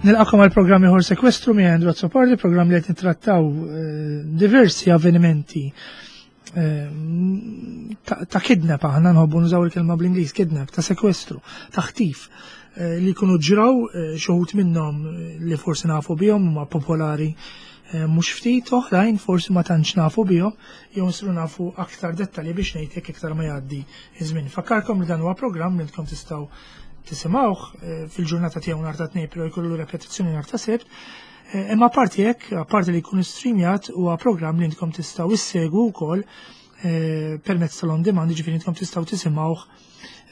Nilqakom għal programm ieħor sekwestru mi Andrew Azzopardi, programm li qed nittrattaw eh, diversi avvenimenti eh, ta' kidnap aħna nħobbu nużaw il-kelma bl-Ingliż kidnap, ta' sekwestru, ta' ħtif eh, li jkunu ġraw xi wħud minnhom li forsi nafu bihom huma popolari mhux ftit oħrajn forsi ma tantx nafu bihom jew nsiru nafu aktar dettalji biex ngħid jekk iktar ma jgħaddi iż-żmien. Fakkarkom li dan huwa programm li intkom tistgħu tisimgħuh eh, fil-ġurnata tiegħu nhar ta' tnejn però jkollu repetizzjoni nhar ta' sibt. Eh, imma apparti hekk, apparti li jkun streamjat huwa programm li intkom tistgħu issegwu wkoll eh, permezz tal-on demand, jiġifieri intkom tistgħu tisimgħuh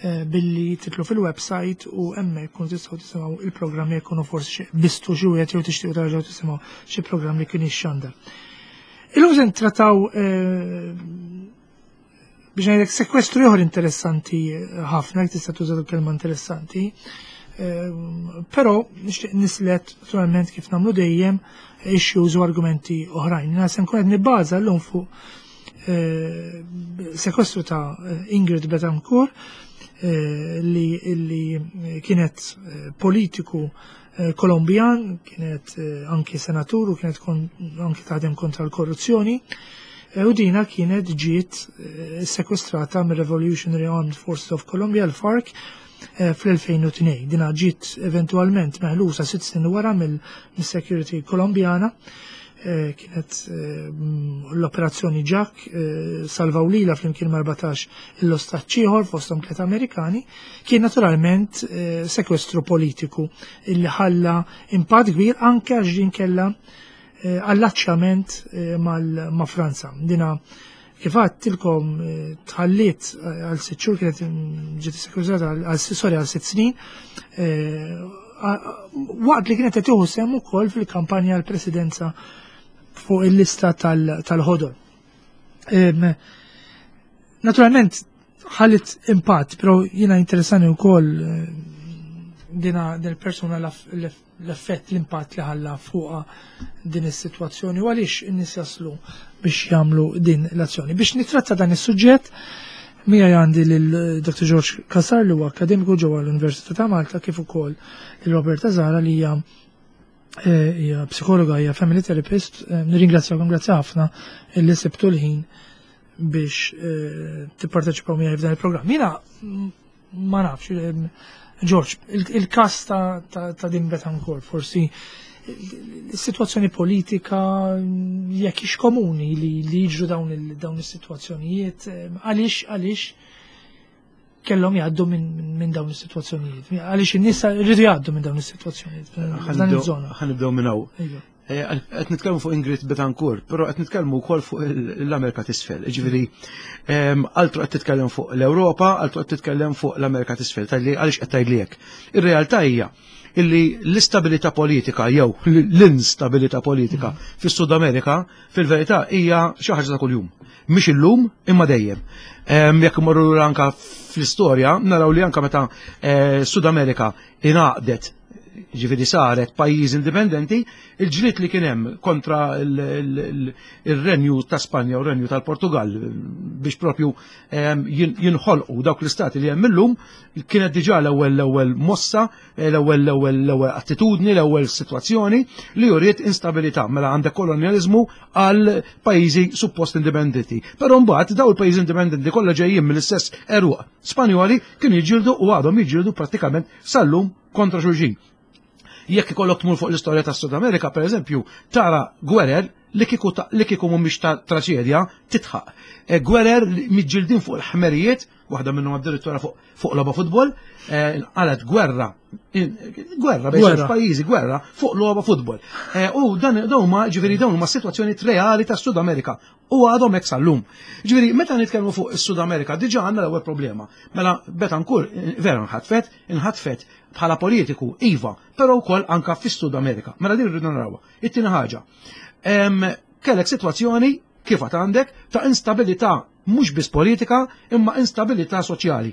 billi titlu fil-website u hemmhekk kun tistgħu tisimgħu il-programm jekk ikunu forsi bistu xi wieħed jew tixtiequ terġgħu tisimgħu xi programm li kien ixxandar. Illum se ntrattaw Biex ngħidlek sekwestru ieħor interessanti ħafna, jekk tista' tuża l-kelma interessanti. Ehm, però nixtieq nislet naturalment kif nagħmlu dejjem issues u argumenti oħrajn. Jina se nkun qed nibbaża llum fuq eh, sekwestru ta' Ingrid Betancourt eh, li, li kienet eh, politiku Kolombjan, kienet anki senatur u kienet anki taħdem kontra l-korruzzjoni. U dina kienet ġiet sekwestrata mir-Revolutionary Armed Forces of Colombia, l-FARC, fl-2002. Dina ġiet eventualment meħlusa sitt snin wara mill-security Kolombjana. Eh, kienet eh, l-operazzjoni Jack eh, salvaw lila flimkien ma' 14 l-ostaċ ieħor fosthom tliet Amerikani, kien naturalment sekwestru politiku illi ħalla impatt kbir anke għax din kellha allaċċjament ma' Franza. Dina kif tilkom tħalliet għal sitt xhur kienet mm, ġiet sekwestrata għal sorry għal sitt snin waqt li kienet qed tieħu sehem ukoll fil-kampanja għall presidenza fuq il-lista tal-ħodor. Naturalment ħallit impatt, però jiena interessani wkoll eh, dina del persuna l-effett, l-impatt li ħalla fuqa din is-sitwazzjoni u għaliex in-nies jaslu biex jagħmlu din l-azzjoni. Biex nitratta dan is-suġġett, Mija għandi lil Dr. George Kasar li huwa akademiku ġewwa l-Università ta' Malta kif ukoll lil Roberta Zara li hija eh, hija psikologa, hija family therapist. Eh, nirringrazzjakom grazzi ħafna li sibtu l-ħin biex eh, tipparteċipaw miegħi f'dan il-programm. Jiena mm, ma nafx, George, il-kas ta' din Betancourt, forsi il-situazzjoni politika jekk ix komuni li jiġru dawn is-sitwazzjonijiet, għaliex għaliex kellhom jgħaddu minn dawn is-sitwazzjonijiet. Għaliex in-nies rridu jgħaddu minn dawn is-sitwazzjonijiet. F'dan iż-żona. Ħa nibdew minn hawn. Iva. Eh, qed nitkellmu fuq Ingrid Betancourt, però qed nitkellmu wkoll fuq l-Amerika t'isfel. Ġifieri, ehm, altru qed titkellem fuq l-Ewropa, altru qed titkellem fuq l-Amerika t'isfel, talli għaliex qed tgħidli hekk. Ir-realtà hija illi l-istabilità politika jew l-instabilità politika mm. fis-Sud Amerika fil-verità hija xi ħaġa ta' kuljum. Mhix illum imma dejjem. Ehm, jekk imorru anka fl-istorja naraw li anka meta eh, Sud Amerika ingħaqdet ġifiri saret pajjiż indipendenti, il-ġlied li kien hemm kontra il-renju ta' Spanja u renju tal-Portugal biex propju ehm, jinħolqu dawk l-istati li hemm illum kienet diġà l-ewwel l-ewwel mossa, l-ewwel l-ewwel l-ewwel attitudni, l-ewwel sitwazzjoni li juriet instabilità mela għandek kolonjaliżmu għal pajjiżi suppost indipendenti. Però mbagħad daw il-pajjiżi indipendenti kollha ġejjin mill-istess eruq Spanjoli kienu jiġġieldu u għadhom jiġġieldu prattikament sal-lum kontra xulxin. Jekk ikollok tmur fuq l-istorja tas Sud Amerika, per eżempju, tara gwerer li kieku li kieku mhumiex ta' traċedja titħaq. E, gwerer miġġildin fuq il-ħmerijiet, waħda minnhom addirittura fuq fuq logħba futbol, e, inqalet gwerra, gwerra bejn pajjiżi gwerra fuq logħba futbol. E, u dan dawn ma ġifieri dawn huma sitwazzjoni reali tas Sud Amerika u għadhom hekk sal-lum. Ġifieri, meta nitkellmu fuq is-Sud Amerika, diġà għandna l-ewwel problema. Mela Betancourt vera nħatfet, inħatfet bħala politiku, iva, però wkoll anka fis-Sud Amerika. Mela din rridu narawha. It-tieni ħaġa. Kellek sitwazzjoni kif għad għandek ta' instabilità mhux biss politika imma instabilità soċjali.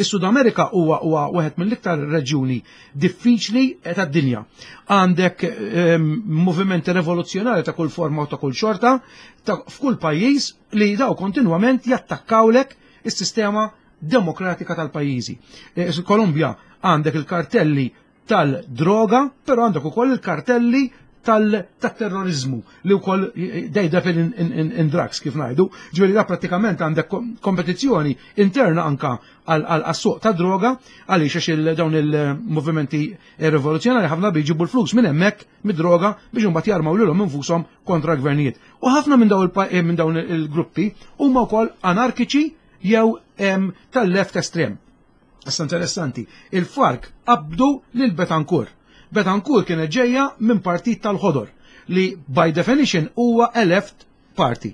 Is-Sud Amerika huwa huwa wieħed mill-iktar reġjuni diffiċli tad-dinja. Għandek ehm, movimenti revoluzzjonari ta' kull forma u ta' kull xorta ta' f'kull pajjiż li daw kontinwament jattakkawlek is-sistema demokratika tal-pajjiżi. Eh, Kolumbja għandek il-kartelli tal-droga, però għandek ukoll il-kartelli tal-terrorizmu li wkoll they dabble in drugs, kif ngħidu. Ġifieri da prattikament għandek kompetizzjoni interna anka għas-suq ta' droga, għaliex għax dawn il-movimenti rivoluzzjonari ħafna jġibu l-flus minn hemmhekk mid-droga biex imbagħad jarmaw lilhom infushom kontra gvernijiet. U ħafna minn dawn il-gruppi huma wkoll anarkiċi jew tal-left estrem. Issa interessanti, il-FARC qabdu lil Betancourt. Betancourt kienet ġejja minn partit tal-ħodor li by definition huwa a left party.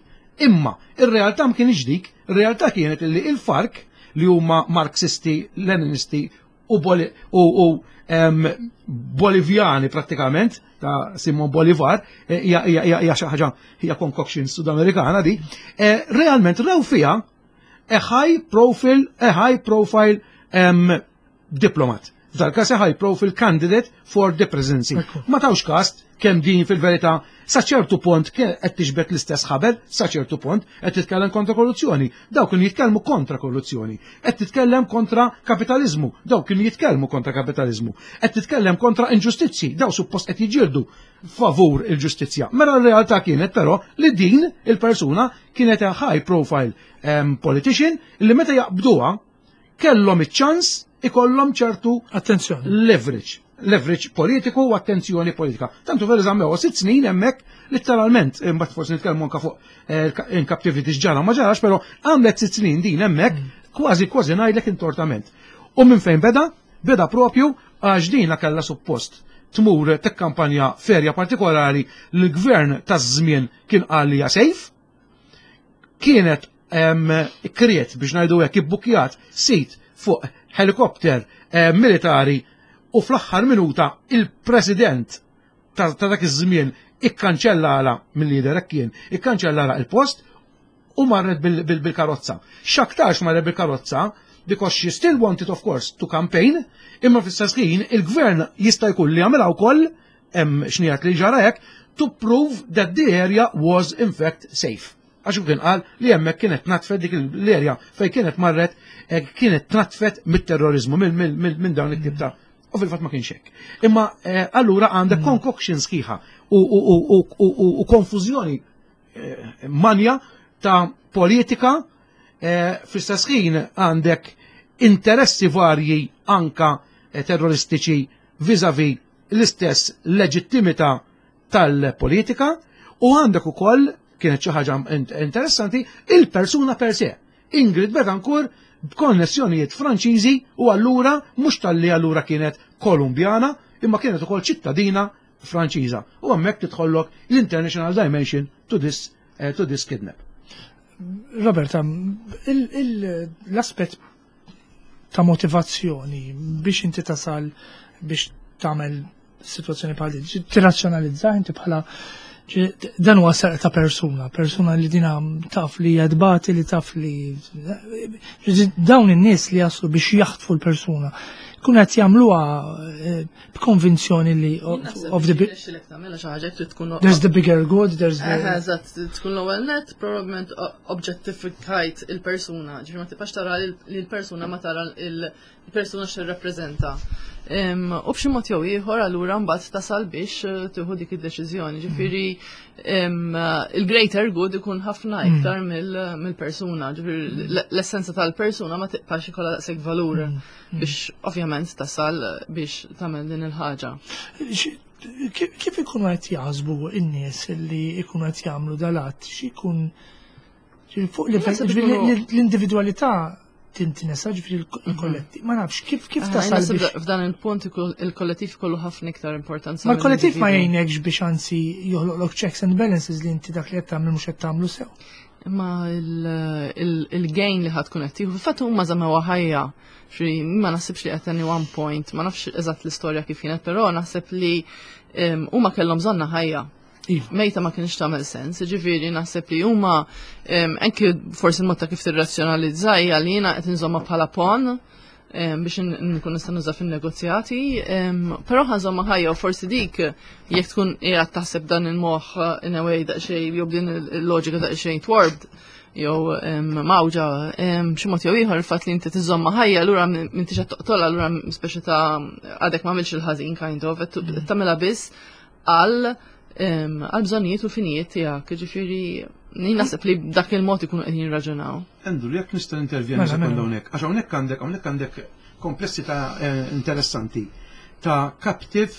Imma ir-realtà ma kienx dik, ir-realtà kienet li il-FARC, li huma Marxisti, Leninisti u Bolivjani prattikament ta' Simon Bolivar, hija xi ħaġa, hija concoction Sudamerikana di, realment raw fiha a high profile diplomat. F'dal-każ a high profile candidate for the presidency. Ma tawx kas kemm din fil-verità sa ċertu punt qed tiġbed l-istess ħabel, sa ċertu punt qed titkellem kontra korruzzjoni. Dawk kienu jitkellmu kontra korruzzjoni. Qed titkellem kontra kapitalizmu. Dawk kienu jitkellmu kontra kapitalizmu. Qed titkellem kontra inġustizzi. Daw suppost qed jiġġieldu favur il-ġustizzja. Mela r-realtà kienet però li din il-persuna kienet a high profile politician li meta jaqbduha kellhom iċ-ċans ikollhom ċertu Attenzjoni. leverage politiku u attenzjoni politika. Tantu veru żammew 6 snin hemmhekk letteralment, imbagħad forsi nitkellmu anke fuq in captivity x'ġara ma ġarax, però għamlet 6 snin din hemmhekk kważi kważi ngħidlek intortament. U minn fejn beda? Beda propju għax dina kellha suppost tmur tekkampanja f'area partikolari li l-gvern taż-żmien kien qal li hija safe, kienet kriet, biex ngħidu hekk, ibbukjat seat fuq helikopter militari u fl-aħħar minuta il-president ta' dak iż-żmien ikkanċellala mill-lider hekk kien, ikkanċellala il-post u marret bil-karozza. X'aktarx marret bil-karozza because she still wanted, of course, to campaign, imma fl-istess ħin il-gvern jista' jkun li għamilha wkoll, hemm xnijat li ġara hekk, to prove that the area was in fact safe. Għax kien qal li hemmhekk kienet natfet dik l-area fejn kienet marret, kienet natfet mit-terrorizmu, minn dawn it-tip ta' u fil-fatt ma kienx hekk. Imma allura għandek concoction sħiħa u konfużjoni manja ta' politika, fl-istess ħin għandek interessi varji anka terroristiċi vis-a-vis l-istess leġittimità tal-politika u għandek ukoll, kienet xi ħaġa interessanti, il-persuna per se. Ingrid Betancourt b'konnessjonijiet Franċiżi u allura mhux talli allura kienet Kolumbjana imma kienet ukoll ċittadina Franċiża. U hemmhekk tidħollok l-international dimension to this kidnap. Roberta, l-aspet ta' motivazzjoni biex inti tasal biex tagħmel situazzjoni bħal din, tirrazzjonalizza inti bħala dan huwa serq ta' persuna, persuna li dina taf li jadbati, li taf li dawn in-nies li jaslu biex jaħtfu l-persuna kun qed jagħmluha b'konvinzjoni li of the there's the bigger good, there's the Eżatt, tkun l-ewwel net probabbilment objectifikajt il-persuna, ġifieri ma tibqax tara li l-persuna, ma tara il-persuna x'tirrappreżenta. U b'xi mod jew ieħor allura mbagħad tasal biex tieħu dik id-deċiżjoni. Ġifieri il-greater good ikun ħafna iktar mill-persuna. Ġifieri l-essenza tal-persuna ma tibqax ikollha daqshekk valur biex ovvjament tasal biex tagħmel din il-ħaġa. Kif ikunu qed jaħsbu n-nies li ikunu qed jagħmlu dal-att, x'ikun fuq l-individwalità tintinesa, ġifieri il-kollettiv? Ma nafx kif tasal biex F'dan il-punt il-kollettiv kollu ħafna iktar importanza. Ma l-kollettiv ma jgħinekx biex anzi joħloqlok checks and balances li inti dak li qed tagħmel mhux qed tagħmlu sew? Imma il-gain li ħa tkun qed tieħu, fil-fatt huma żammew ħajja. Xi ma naħsibx li at any one point, ma nafx eżatt l-istorja kif kienet, però naħseb li huma kellhom bżonna ħajja. Mejta ma kienx tagħmel sens, ġifieri naħseb li huma anki forsi l-mod ta' kif tirrazzjonalizza hija li jiena qed inżomma bħala pawn. Biex nkun nista' nuża fin-negozjati, però ħa nżommha ħajja u forsi dik jekk tkun qiegħed taħseb dan il-moħħ in a way daqsxejn jew din il-loġika daqsxejn twarped jew mgħawġa b'xi mod jew ieħor, il-fatt li inti tiżomma ħajja allura m'intix qed toqtolha, allura speċi ta' għadek m'għamilx il-ħażin kind of, qed tagħmilha biss għal bżonnijiet u finijiet tiegħek. Ġifieri jien naħseb li dak il-mod ikunu qegħdin jirraġunaw. Andrew, jekk nista' intervjeni sekonda hawnhekk, għax hawnhekk għandek komplessità interessanti ta' captive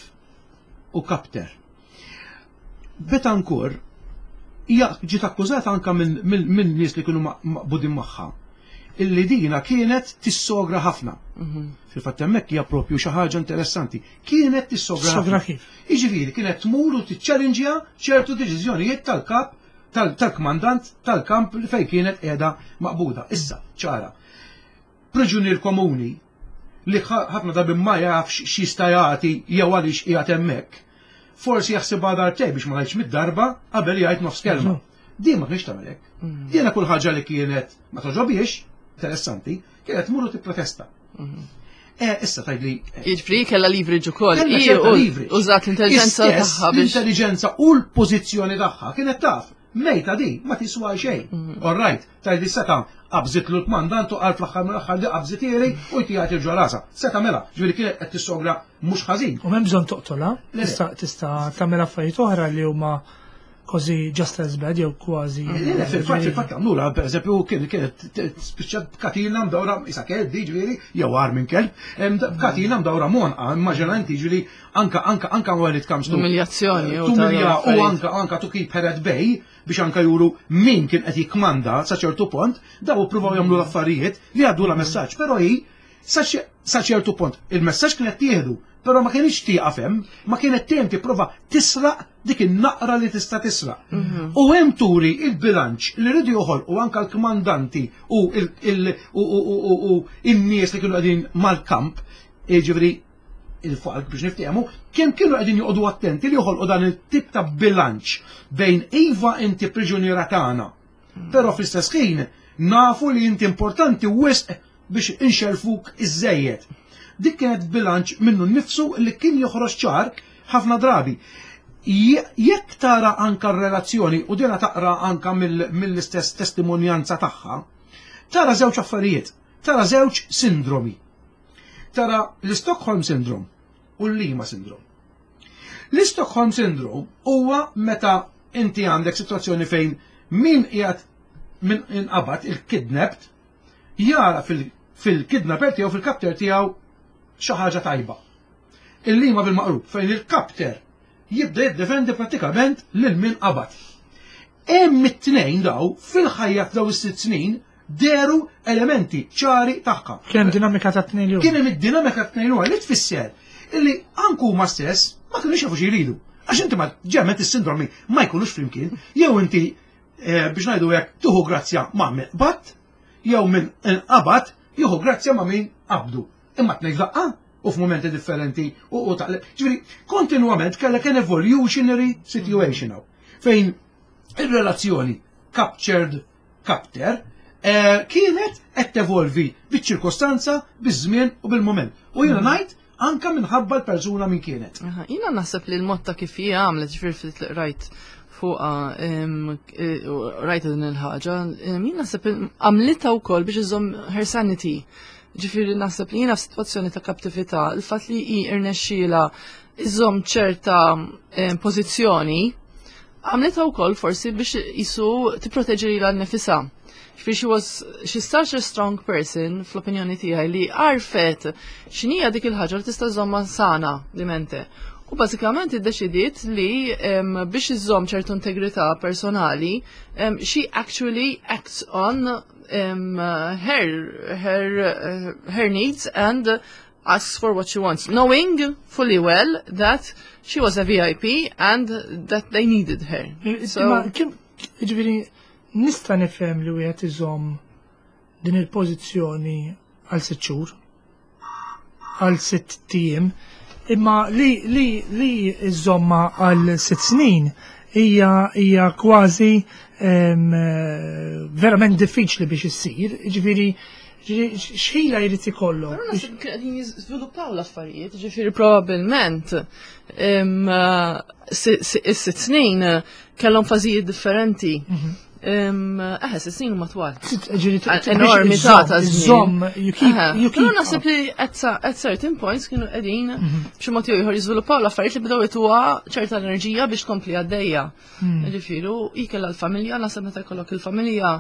u captor. Betancourt hija ġiet akkużata anka minn nies li kienu maqbudin magħha illi dina kienet tissogra ħafna. Fil-fatt hemmhekk hija propju xi ħaġa interessanti. Kienet tissogra Sogra kif? Jiġifieri kienet tmur u tiċċellinġja ċertu deċiżjonijiet tal-kap, tal-kmandant tal-kamp li fejn kienet qiegħda maqbuda. Issa, ċara. Priġunier komuni li ħafna drabi ma jafx x'jista' jagħti jew għaliex qiegħed hemmhekk. Forsi jaħsibha darbtejn, biex ma ngħidx mid-darba, qabel jgħid nofs kelma. Din ma kienx tagħmel hekk. Jiena kull ħaġa li kienet ma toġobiex, interessanti, kienet tmur u tipprotesta. Issa tgħidli Jiġifieri kellha leverage ukoll. Kellha ċerta leverage. Użat l-intelligenza Istess, tagħha biex L-intelligenza u l-pożizzjoni tagħha, kienet taf. Mejta di, ma tiswa xejn. All right, tgħidli seta' qabżitlu l-kmandant u qal fl-aħħar mill-aħħar di qabżitieri u jtijat il rasa. Seta' mela, ġifieri kienet qed tissogra mhux ħażin. U m'hemm bżonn toqtolha, Le. tista' tagħmel affarijiet oħra li huma kważi just as bad jew kważi. Le, fil-fatt għamlula, per eżempju, kienet spiċċat b'katina mdawra, isa kelb di ġifieri, jew agħar minn kelb, b'katina mdawra m'għonqha, immaġina inti, ġifieri, anka when it comes to Umiljazzjoni u tumilja u affarijiet. anka to keep her at bay, biex anka juru min kien qed jikmanda sa ċertu punt, daw pruvaw jagħmlu l-affarijiet li għaddu la messaġġ, però hi sa ċertu punt il-messaġġ kienet tieħdu, però ma kienx tieqaf hemm, ma kienet tiem tipprova tisraq dik in-naqra li tista' tisraq. U hemm turi il-bilanċ li rridu joħolqu anka l-kmandanti u in-nies li kienu qegħdin mal-kamp, jiġifieri il-FARC biex niftehmu, kemm kienu qegħdin joqogħdu attenti li joħolqu dan il-tip ta' bilanċ bejn iva inti priġuniera tagħna, però fl-istess ħin nafu li inti importanti wisq biex inxerfuk iż-żejjed. Dik kienet bilanċ minnu nnifsu li kien joħroġ ċar ħafna drabi. Jekk tara anka r-relazzjoni u dina taqra anka mill-istess testimonjanza tagħha, tara żewġ affarijiet, tara żewġ sindromi. Tara l-Stockholm Syndrome u l-Lima Syndrome. L-Stockholm Syndrome huwa meta inti għandek situazzjoni fejn min qiegħed min inqabad, il-kidnapped, jara fil-kidnapper tiegħu, fil-captor tiegħu xi ħaġa tajba. Il-Lima bil-maqlub, fejn il-captor jibda jiddefendi pratikament lil min qabad. Hemm it-tnejn daw fil-ħajja f'daw is-6 snin deru elementi ċari tagħha. Kien hemm dinamika ta' tnejn li Kien hemm id-dinamika ta' tnejn li tfisser illi anku huma stess ma kinux jafu xi jridu. Għax inti ma ġemmet is-sindromi ma jkunux flimkien, jew inti biex ngħidu hekk tuħu grazzja ma' min qbad, jew min inqabad jieħu grazzja ma' min qabdu. Imma tnejn f'daqqa u f'momenti differenti u taqleb. Ġifieri, kontinwament kellek an evolutionary situation hawn, fejn ir-relazzjoni captured captor kienet qed tevolvi biċ-ċirkostanza, biż-żmien u bil-moment. U jiena ngħid anka minħabba l-persuna min kienet. Aha, jiena naħseb li l-mod ta' kif hija għamlet, ġifieri ftit li rajt fuqha rajt din il-ħaġa, jien naħseb għamlitha wkoll biex iżomm her sanity. Ġifieri naħseb li jiena f'sitwazzjoni ta' kaptività, il-fatt li hi irnexxiela iżomm ċerta pożizzjoni, għamlitha wkoll forsi biex jisu tipproteġi lilha nnifisha. Ġifieri she's such a strong person fl-opinjoni tiegħi li għarfet x'inhija dik il-ħaġa li tista' żomma sana di mente. U bażikament iddeċidiet li biex iżomm ċertu integrità personali, she actually acts on her needs and asks for what she wants, knowing fully well that she was a VIP and that they needed her. So, Imma kim, ġifieri, nista' nifhem li wieħed iżomm din il-pożizzjoni għal 6 xhur, għal 6 ijiem, imma li iżomma għal 6 snin hija kważi verament diffiċli biex issir. Ġifieri, X'ħila jrid ikollok? Però naħseb kien qegħdin jiżviluppaw l-affarijiet, ġifieri probabbilment is-sitt snin kellhom fażijiet differenti. Eħe, 6 snin huma twal. Enormità ta' żmien. You keep, you keep. Naħseb li at certain points kienu qegħdin b'xi mod jew ieħor jiżviluppaw l-affarijiet li bdew ituha ċerta enerġija biex tkompli għaddejja. Ġifieri, hi kellha l-familja, naħseb meta jkollok il-familja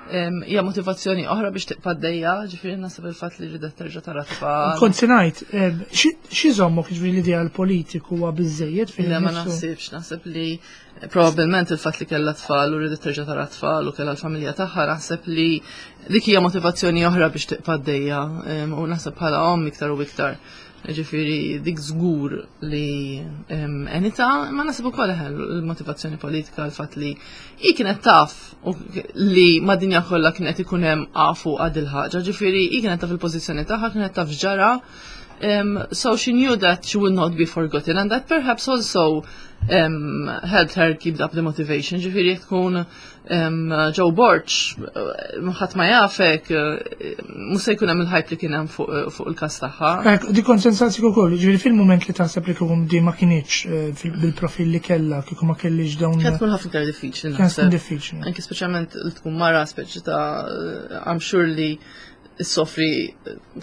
hija motivazzjoni oħra biex tibqa' għaddejja, ġifieri naħseb il-fatt li ridet terġa' tara tfal. Kont se ngħid, xi żommok ġifieri l-ideal politiku huwa biżejjed fil Le ma naħsibx, naħseb li probabbilment il-fatt li kellha tfal u ridet terġa' tara tfal u kellha l-familja tagħha, naħseb li dik hija motivazzjoni oħra biex tibqa' għaddejja u naħseb bħala omm iktar u iktar. Ġifieri dik żgur li enita, ma naħseb ukoll il-motivazzjoni politika l-fatt li hi kienet taf li mad-dinja kollha kien qed ikun hemm għafu għad il-ħaġa, ġifieri hi kienet taf il-pożizzjoni tagħha, kienet taf ġara. So she knew that she would not be forgotten and that perhaps also helped her keep up the motivation. Ġifieri tkun Joe Borg, ħadd ma jafek, mhux se jkun hemm il-hype li kien hemm fuq il-każ tagħha. Di konsensazzi ukoll, ġifieri fil-mument li taħseb li kieku di ma kinitx bil-profil li kellha, kieku ma kellix dawn. Kien tkun ħafna iktar diffiċli. Kien tkun diffiċli. Anki speċjalment li tkun mara speċi ta' I'm sure li soffri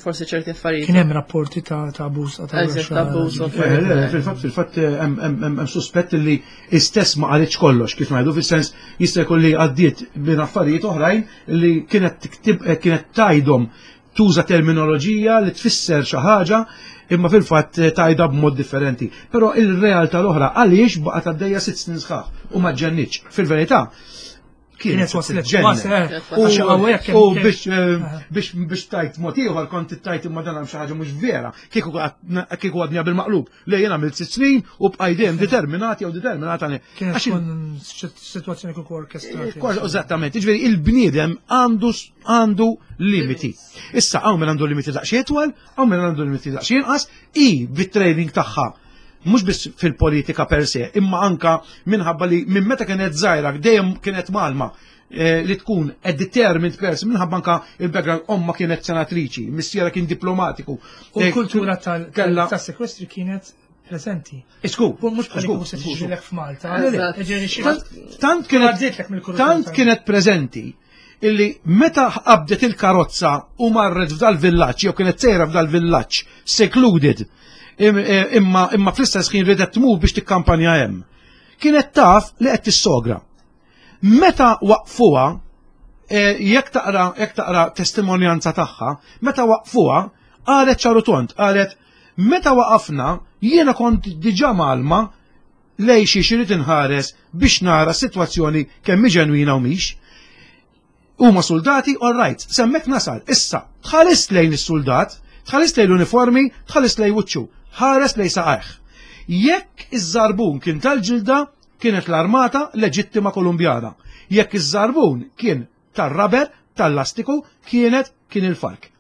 forsi ċerti affarijiet. Kien hemm rapporti ta' abbuż ta' abbuż. Fil-fatt fil-fatt hemm suspett li istess ma qalitx kollox kif ngħidu fis-sens jista' jkun li għaddiet minn affarijiet oħrajn li kienet tiktib kienet tajdhom tuża terminoloġija li tfisser xi ħaġa imma fil-fatt tajda b'mod differenti. Però il-realtà l-oħra għaliex baqgħet għaddejja 6 snin sħaħ u ma ġġennitx. Fil-verità, kienet waslet ġennet. U biex tajt mod ieħor kont tajt imma dan hemm xi ħaġa mhux vera. Kieku għadni bil-maqlub. Le jien għamilt 6 snin u bqajt dejjem determinati jew determinata. Kienet tkun sitwazzjoni kieku orkestrata. Eżattament, jiġifieri il-bniedem għandu limiti. Issa hawn min għandu limiti daqsxejn itwal, hawn min għandu limiti daqsxejn inqas, i bit-training tagħha mhux biss fil-politika per se, imma anka minħabba li minn meta kienet żgħira dejjem kienet malma li tkun a determined person minħabba anka il-background omma kienet senatriċi, missiera kien diplomatiku. U l-kultura tal-sekwestri kienet prezenti. Isku, Mhux bħal kieku se tiġrilek f'Malta. Tant kienet prezenti illi meta qabdet il-karozza u marret f'dal-villaġġ jew kienet sejra f'dal-villaġġ secluded imma fl-istess ħin ridet tmur biex tikkampanja hemm. Kienet taf li qed tissogra. Meta waqfuha, jekk taqra testimonjanza tagħha, meta waqfuha, qalet ċar u tond, qalet meta waqafna jiena kont diġà malma lej xi xi rrid inħares biex nara s-sitwazzjoni kemm ġenwina u mhix. Huma soldati, all right, s'hemmhekk nasal. Issa, tħares lejn is-soldat, tħares lejn l-uniformi, tħares lejn wiċċu, ħares lejn saqajh. Jekk iż-żarbun kien tal-ġilda, kienet l-armata leġittima Kolumbjana. Jekk iż-żarbun kien tar-rubber, tal-lastiku, kienet kien il-FARC.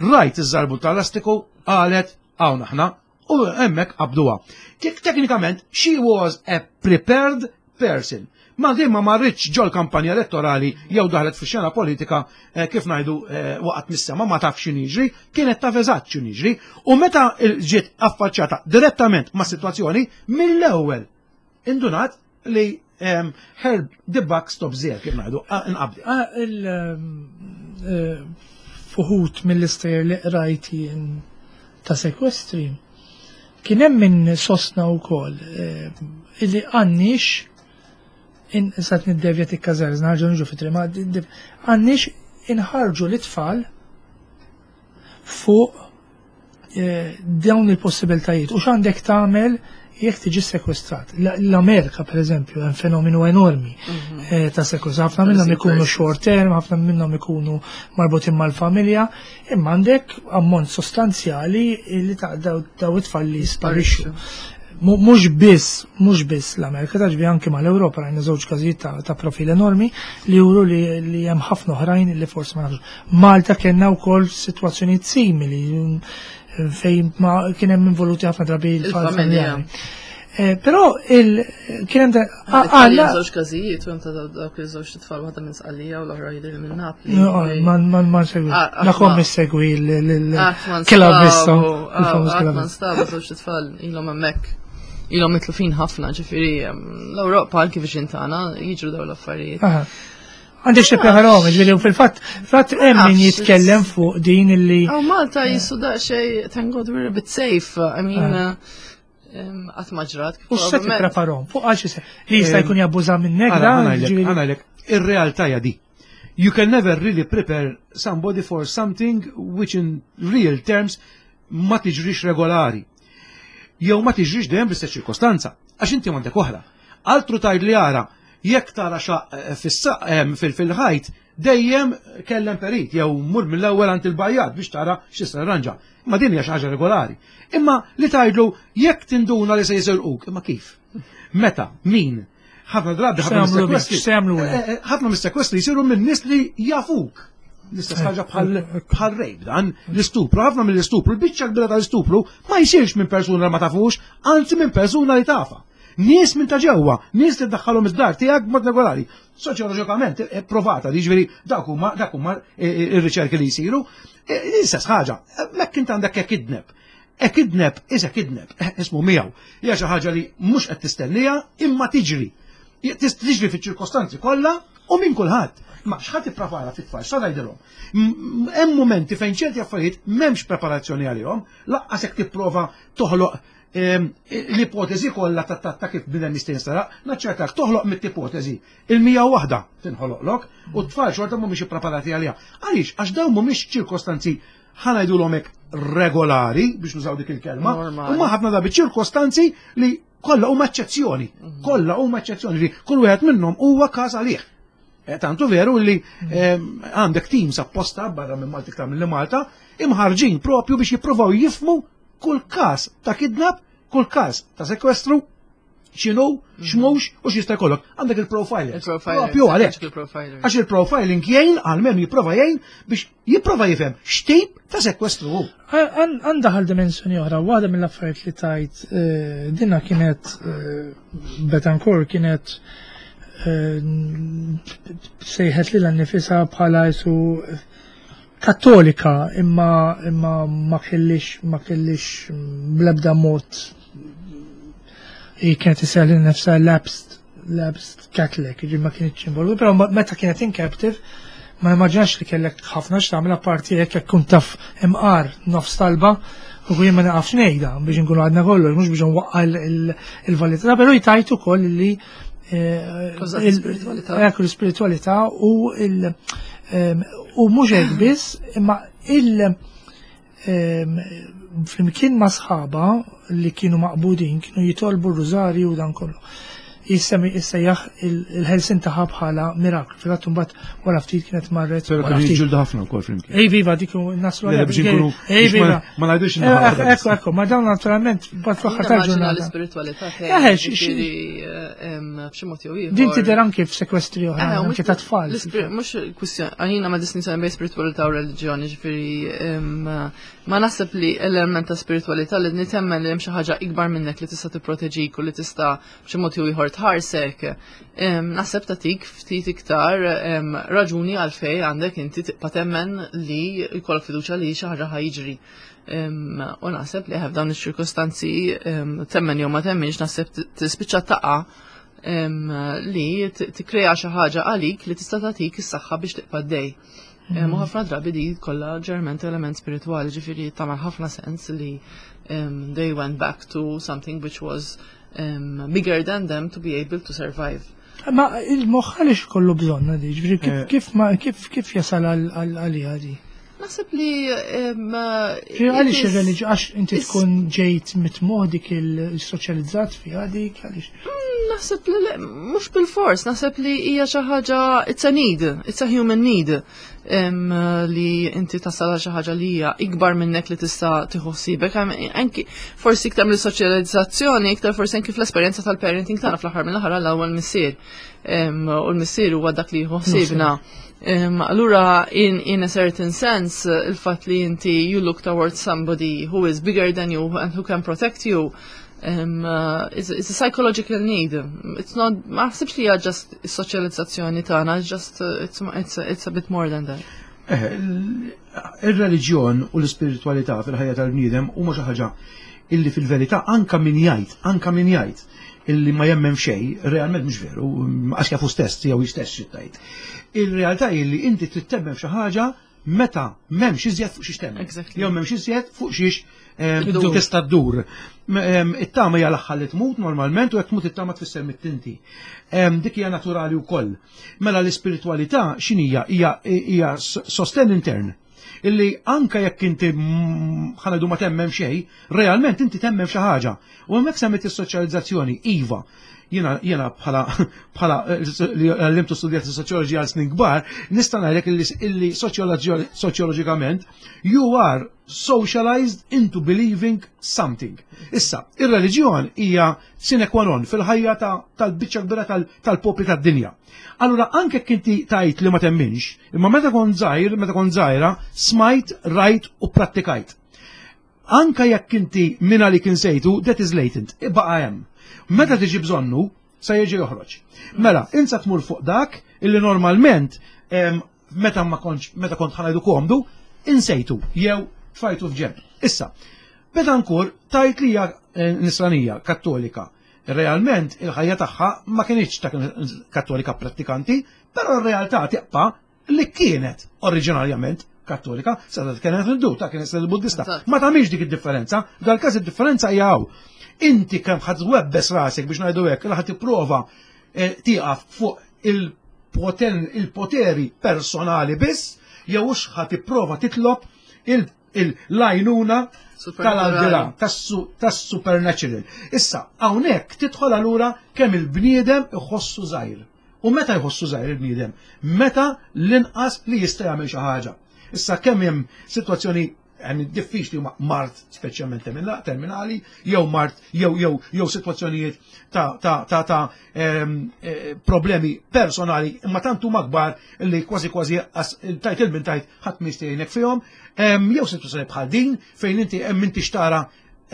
Rajt iż-żarbun tal-lastiku, qalet hawn aħna u hemmhekk qabduha. Teknikament, she was a prepared person. Ma din ma marritx ġol kampanja elettorali jew daħlet fi xena politika kif ngħidu waqgħet mis-sema ma tafx x'inhu jiġri, kienet taf eżatt x'inhu jiġri u meta ġiet affaċċata direttament ma' sitwazzjoni mill-ewwel indunat li her the buck stops there kif ngħidu inqabdi. Fuħut mill-istejjer li qrajt jien ta' sekwestri kien hemm min sostna wkoll illi għandniex insat niddevja tikkażar, nerġgħu niġu fit ma għandniex inħarġu l-itfal fuq dawn il-possibiltajiet u x'għandek tagħmel jekk tiġi sekwestrat. L-Amerika, per eżempju, hemm fenomenu enormi ta' sekwestrat. Ħafna minnhom ikunu short term, ħafna minnhom ikunu marbutin mal-familja, imma għandek ammont sostanzjali li ta' daw it-tfal li sparixxu. Mhux biss l-Amerika, taġbi anki mal-Ewropa rajna żewġ każijiet ta' profil enormi li juru li hemm ħafna oħrajn li forsi ma nafux. Malta kellna wkoll sitwazzjonijiet simili fejn ma kien hemm involuti ħafna drabi il-familja. Però il kien hemm għandna żewġ każijiet u hemm ta' dawk iż-żewġ tfal waħda minn Sqallija u l-oħra jidher minn Napli. Ma nsegwi. Nakom missegwi l-Kelabista. Qatt ma nstabu żewġ tfal ilhom hemmhekk. Ilhom mitlufin ħafna, ġifieri l-Ewropa anki viċin tagħna jiġru dawn l-affarijiet. Għandek xi preferom, ġifieri fil-fatt fatt hemm min jitkellem fuq din illi. Aw Malta jisu daqsxejn, thank God we're a bit safe. I mean, qatt ma ġrat. U se tippreparhom fuq għal xi li jista' jkun jabbuża minnek da. Ħanajlek, ir-realtà hija di. You can never really prepare somebody for something which in real terms ma tiġrix regolari. Jew ma tiġrix dejjem bl-istess ċirkostanza. Għax inti m'għandek oħra. Altru tgħid li ara, jekk tara xaq fil-ħajt, dejjem kellem perit jew mur mill-ewwel għand il-bajjad biex tara x'tista' tirranġa. Imma din hija xi ħaġa regolari. Imma li tgħidlu jekk tinduna li se jisirquk, imma kif? Meta? Min? Ħafna drabi ħafna mis-sekwestri jsiru minn nies li jafuk. L-istess ħaġa bħal rejb dan, l-istupru, ħafna mill-istupru, l-biċċa kbira tal-istupru ma jsirx minn persuna li ma tafux, anzi minn persuna li tafa. Nies minn ta' ġewwa, nies li ddaħħalhom id-dar tiegħek b'mod regolari. Soċjoloġikament eh, provata, jiġifieri dak huma dak huma eh, eh, ir-riċerki li jsiru. L-istess ħaġa, mekk int għandek hekk idneb. Hekk idneb, isek idneb, ismu miegħu. Hija xi ħaġa li mhux qed tistennija imma tiġri. Tiġri fiċ-ċirkostanzi kollha u minn kulħadd. Ma x'ħadd ipprepara fit-tfal, x'ta tgħidilhom? Hemm momenti fejn ċerti affarijiet m'hemmx preparazzjoni għalihom, laqqas jekk tipprova toħloq l-ipotezi kollha ta' kif bniedem jista' jinsteraq, naċċertak toħloq mit-ipotezi. Il-mija waħda tinħoloqlok u t-tfal xorta mhumiex ippreparati għaliha. Għaliex? Għax dawn mhumiex ċirkostanzi ħa ngħidulhom hekk regolari biex nużaw dik il-kelma, huma ħafna drabi ċirkostanzi li kollha huma eċċezzjoni, mhm. kollha huma eċċezzjoni li kull wieħed minnhom huwa każ għalih. Eh, tantu veru li mhm. għandek teams apposta barra minn Malta iktar minn Malta imħarġin propju biex jippruvaw jifmu kull każ ta' kidnap, kull każ ta' sekwestru, x'inhu, mhm. x'mhux u x'jista' jkollok. Għandek il-profiler. Propju għalhekk. Għax il-profiling jgħin għalmenu jipprova jgħin biex jipprova jifhem x'tip ta' sekwestru hu. Għandha ħal dimensjoni oħra, waħda mill-affarijiet li tajt eh, dinna kienet eh, Betancourt kienet eh, sejħet lilha nnifisha bħala jisu Kattolika imma imma ma kellix ma kellix bl-ebda mod hi kienet isejjaħ lil nefsha lapsed lapsed Catholic, jiġifieri ma kienitx involuta, però meta kienet in captive ma nimmaġinax li kellek ħafna x'tagħmel apparti hekk jekk kun taf imqar nofs talba u jien ma naqafx ngħidha biex inkunu għadna kollox, mhux biex nwaqqa il-validità, però jtajt ukoll li eh, l-spiritualità u il- U mhux hekk biss, imma il flimkien ma' sħaba li kienu maqbudin kienu jitolbu r-rużarju u dan kollu. Jissemi issejjaħ il-ħelsin taħħa bħala miraklu. Fil-fatt imbagħad wara ftit kienet marret. Però kienu jiġġieldu ħafna wkoll flimkien. Ej viva dik naslu għal. Biex inkunu. Ej viva. Ma ngħidux eh, Ekku, ekku, ma dawn naturalment bad fl-aħħar tal-ġurnata. L-ispiritualità. Eh, b'xi mod jew ieħor. Din tidher anke f'sekwestri oħra, eh, anke ta' tfal. Mhux kwistjoni, għalina ma distinzjoni bejn spiritualità u reliġjoni, ġifieri ma naħseb li element ta' spiritualità li nitemmen li hemm xi ħaġa ikbar minnek li tista' tipproteġik u li tista' b'xi mod jew ieħor tħarsek. Naħseb tagħtik ftit iktar raġuni għalfej għandek inti tibqa' temmen li jkollok fiduċja li xi ħaġa ħa jiġri. U naħseb li f'dawn iċ-ċirkostanzi temmen jew ma temminx naħseb tispiċċa taqa' li tikkrea xi ħaġa għalik li tista' tagħtik is-saħħa biex tibqa' dej. U ħafna drabi di kollha ġerment element spiritwali, ġifieri tagħmel ħafna sens li they went back to something which was bigger than them to be able to survive. Ma il-moħħ għaliex kollu bżonna di, ġifieri kif eh. kif kif kif jasal għalija di? Naħseb li Għaliex ir-reliġjon għax inti tkun ġejt mitmuħ dik il-soċjalizzat fiha dik għaliex. Mm, naħseb li mhux bil-fors, naħseb li hija xi ħaġa it's a need, it's a human need li inti tasal għal xi ħaġa li hija ikbar minnek li tista' tieħu ħsiebek. Anki forsi iktar mill-soċjalizzazzjoni, iktar forsi anki fl-esperjenza tal-parenting tagħna fl-aħħar mill-aħħar għal ewwel missier. U l-missier huwa dak li jieħu ħsiebna. Allura in, in a certain sense il-fatt li inti you look towards somebody who is bigger than you and who can protect you. It's a psychological need. It's not, ma ħsibx li hija just is-soċjalizzazzjoni tagħna, it's just it's a bit more than that. Ir-reliġjon u l-ispiritualità fil-ħajja tal-bniedem huma xi ħaġa illi fil-verità anka min jgħid, anka min jgħid illi ma jemmen xejn, realment mhux veru, għax jafu stess jew jistess xi tgħid. Il-realtà hi li inti trid temmen f'xi ħaġa meta m'hemmx iżjed fuq xiex temmen. Jew m'hemmx iżjed fuq xiex tista' ddur. It-tama hija l-aħħar li tmut normalment u jekk tmut it-tama tfisser mit-tinti. Dik hija naturali wkoll. Mela l-ispiritwalità x'inhija? Hija sosten intern illi anka jekk inti ħanadu ma temmen xejn, realment inti temmen xi ħaġa. U hemmhekk semmit is-soċjalizzazzjoni, iva. Jiena jiena bħala bħala li għallimtu studjat soċjoloġija għal snin kbar, nista' ngħidlek illi soċjoloġikament you are socialized into believing something. Issa, ir-reliġjon hija sine qua non fil-ħajja tal-biċċa kbira tal-popli tad-dinja. Allura anke kinti tajt li ma temminx, imma meta kont żgħir, meta kont żgħira, smajt, rajt u prattikajt. Anka jekk inti minna li kien sejtu, that is latent, ibqa' hemm. Meta tiġi bżonnu, sa jiġi joħroġ. Mela, insa tmur fuq dak illi normalment meta ma kontx meta kont ħa ngħidu komdu, insejtu jew tfajtu f'ġenb. Issa, Betancourt tajt li hija nisranija kattolika. Realment il-ħajja tagħha ma kienx ta' kattolika prattikanti, però r-realtà tibqa' li kienet oriġinarjament kattolika, sa kienet hindu, ta' kienet il-buddista. Ma tagħmilx dik id-differenza, dal-każ id-differenza hija hawn. Inti kemm ħadd webbes rasek biex ngħidu hekk, li ħadd tipprova tieqaf fuq il-poteri personali biss, jew hux ħadd tipprova titlob l-għajnuna tal-aldila, tas-supernatural. Issa, hawnhekk tidħol allura kemm il-bniedem iħossu żgħir. U meta jħossu żgħir il-bniedem? Meta l-inqas li jista' jagħmel xi ħaġa. Issa kemm hemm sitwazzjoni hemm diffiċli huma mard speċjalment terminali, jew mard jew jew jew sitwazzjonijiet ta' problemi personali imma tant huma kbar li kważi kważi tajt il-min tajt ħadd ma jgħinek fihom, jew sitwazzjoni bħal din fejn inti hemm inti xtara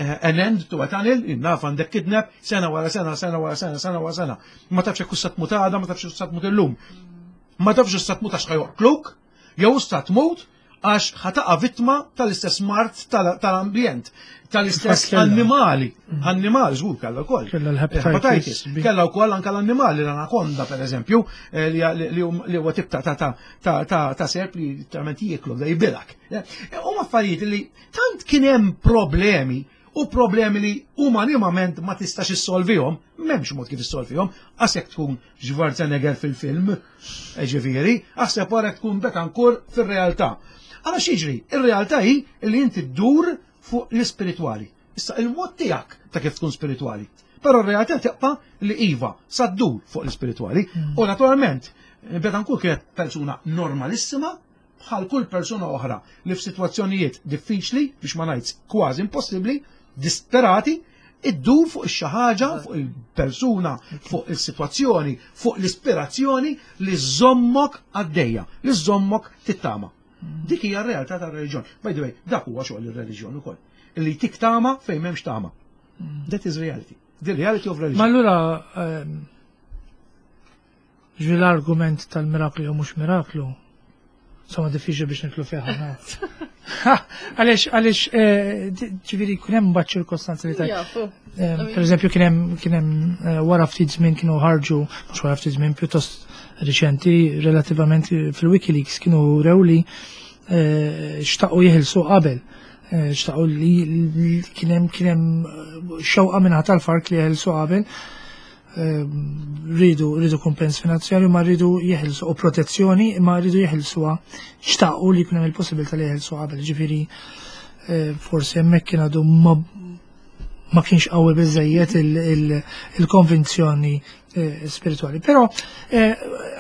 an end to a tunnel, naf għandek kidnap, sena wara sena, sena wara sena, sena wara sena. Ma tafx jekk sa tmut għada, ma tafx sa tmut illum. Ma tafx sa tmut għax ħa joqtluk, jew sa tmut għax ħa taqa' vittma tal-istess mard tal-ambjent, tal-istess annimali. Annimali, żgur kellha wkoll. Kellha l-hepatitis. Kellha wkoll anke l-annimali, l-anakonda per eżempju, li huwa tip ta' serp li literalment jieklu, da jibilak. Huma affarijiet li tant kien hemm problemi u problemi li umanimament ma tistax issolvihom, m'hemmx mod kif issolvihom, għax jekk tkun Schwarzenegger fil-film, ġifieri, aħseb wara tkun Betancourt fir-realtà. Għala x'jiġri? Ir-realtà hi li inti ddur fuq l-ispiritwali. Issa il-mod tiegħek ta' kif tkun spiritwali. Però r-realtà tibqa' li iva sa ddur fuq l-ispiritwali. U naturalment, Betancourt kienet persuna normalissima, bħal kull persuna oħra li f'sitwazzjonijiet diffiċli, biex ma ngħidx kważi impossibbli, disperati, iddur fuq ix ħaġa, fuq il-persuna, fuq il-sitwazzjoni, fuq l-ispirazzjoni li żommok għaddejja, li żommok tittama. Dik hija r-realtà tar-reliġjon. By the way, dak huwa xogħol ir-reliġjon ukoll. Li tik tama fejn m'hemmx tama. That is reality. The reality of religion. Ma allura ġvi l-argument tal-miraklu jew mhux miraklu, insomma diffiċli biex nidħlu fih ħafna. Għaliex, għaliex, ġifieri kien hemm mbagħad ċirkostanzi li tajt. Per eżempju, kien hemm wara ftit żmien kienu ħarġu, mhux wara ftit żmien pjuttost riċenti, relattivament fil-Wikileaks kienu rew li xtaqu jeħilsu qabel. Xtaqu li kien hemm xewqa minn tal-FARC li jeħilsu qabel. Ridu kumpens finanzjarju ma rridu jeħilsu u protezzjoni ma rridu jeħilsuha xtaqu li jkun hemm il-possibilità li jeħilsu qabel. Ġifieri forsi hemmhekk kien għadu ma kienx qawwi biżejjed il-konvinzjoni spirituali. Però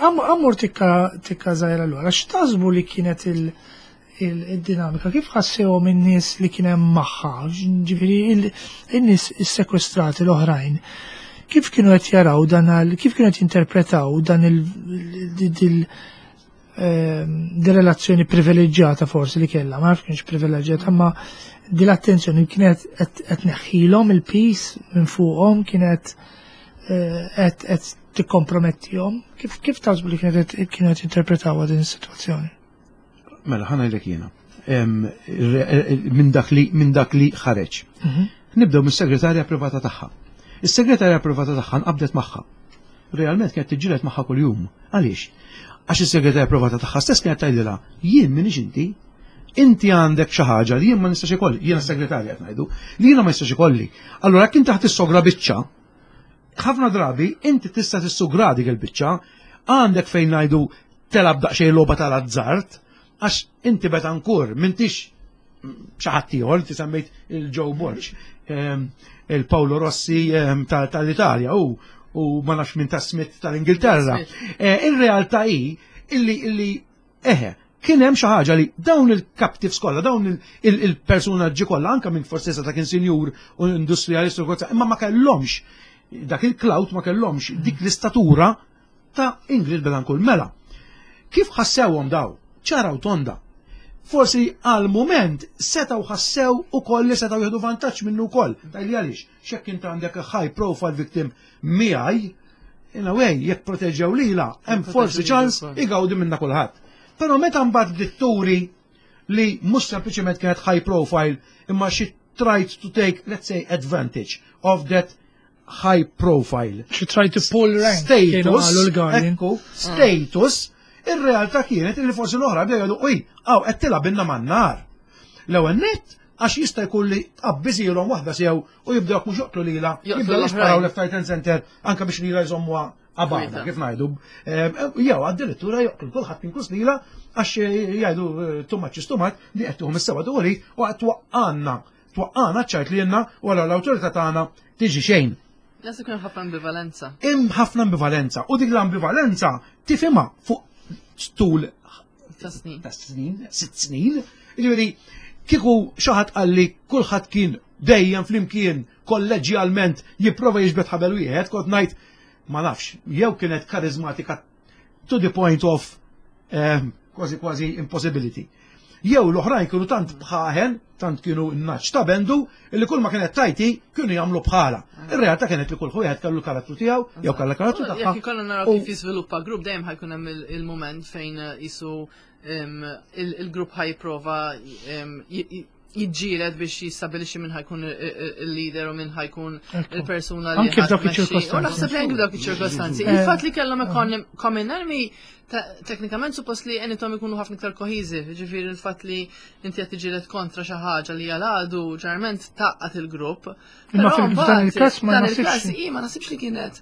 ammur tikka tikka żgħira allura, x'taħsbu li kienet il-dinamika, kif ħassewhom in-nies li kien hemm magħha, ġifieri in-nies is-sekwestrati l-oħrajn, kif kienu qed jaraw dan kif kienu qed jinterpretaw dan il di relazzjoni privileġġjata forsi li kellha, ma nafx kienx privileġġjata, ma di l-attenzjoni kienet qed neħħilhom il-pis minn fuqhom, kienet eh, qed tikkompromettihom. Kif kif taħsbu li kienet kienet interpretawha din is-sitwazzjoni? Mela ħana jlek jiena. Minn dak li minn dak li ħareġ. Mhm. Nibdew mis-segretarja privata tagħha. Is-segretarja privata tagħha nqabdet magħha. Realment kienet tiġġieled magħha kuljum. Għaliex? Għax is-segretarja privata tagħha stess kienet tgħidilha, jien minix inti, inti għandek xi ħaġa li jien ma nistax ikolli, jiena segretarja qed ngħidu, li jiena ma nistax ikolli. Allura jekk inti ħadd issogra biċċa, ħafna drabi inti tista' tissugra dik il-biċċa, għandek fejn ngħidu telab daqsxejn logħba tal-azzard, għax inti Betancourt m'intix xi ħadd ieħor, inti semmejt il-Joe Borg, ehm, il-Paolo Rossi ehm, tal-Italja u u ma nafx minn ta' Smith tal-Ingilterra. Eh, ir-realtà hi illi illi eħe, kien hemm xi ħaġa li dawn il-captives kollha, dawn il-personaġġi kollha, anke minn forsi ta' kien sinjur u industrialist u imma ma kellhomx dak il-clout ma kellhomx dik l-istatura ta' Ingrid Betancourt. Mela, kif ħassewhom daw? Ċara u tonda. Forsi għal moment setgħu ħassew ukoll li setgħu jieħdu vantaġġ minnu wkoll. Tajli għaliex, x'hekk int għandek high profile victim miegħi, in a way, jekk proteġew lila, hemm forsi ċans igawdi minna kulħadd. Però meta mbagħad bdiet turi li mhux sempliċement kienet high profile imma she tried to take, let's say, advantage of that high profile. She tried to pull rank. Status, ekku, status, ir-realtà kienet li forsi l-oħra bdew jgħidu, uj, għaw qed tilgħab inna man-nar. L-ewwel nett għax jista' jkun li tqabbiżilhom waħda sew u jibdew mhux joqtlu lilha, jibdew jisparaw left right and center anke biex lilha jżommuha għabana, kif ngħidu. Jew addirittura joqtlu kulħadd inkluż lilha għax jgħidu too much is too much li qed tieħu mis-sewwa turi u qed twaqqanna twaqqana ċajt li jenna u għal l-awtorità tagħna tiġi xejn. Nasu kien ħafna ambivalenza. Hemm ħafna ambivalenza u dik l-ambivalenza tifhimha fuq tul ta' snin. Ta' snin, sitt snin. Jiġifieri kieku xi ħadd qalli kulħadd kien dejjem flimkien kolleġjalment jipprova jiġbed ħabel wieħed, kont ngħid ma nafx, jew kienet karizmatika to the point of eh, kważi kważi impossibility. Jew l-oħrajn kienu tant bħaħen, tant kienu naċ ta' bendu, illi kull ma kienet tajti kienu jagħmlu bħala. Ir-realtà kienet li kull wieħed kellu l-karattru tiegħu, jew kellha karattru tagħha. Jekk ikollna naraw kif jiżviluppa grupp dejjem ħajkun hemm il-mument fejn eh, jisu il-grupp ħajprova jiġġieled biex jistabilixxi minn ħajkun il-leader u minn ħajkun il-persuna li. Anke f'dawk iċ-ċirkostanzi. U naħseb li anke f'dawk iċ-ċirkostanzi. Eh. Il-fatt li kellhom common enemy teknikament suppost li għenitom ikunu ħafna iktar koheżiv, ġifieri il-fatt li inti qed tiġġieled kontra xi ħaġa li għal-għadu ġeneralment taqqat il-grupp. Imma f'dan il-każ ma nasibx. Ma nasibx li kienet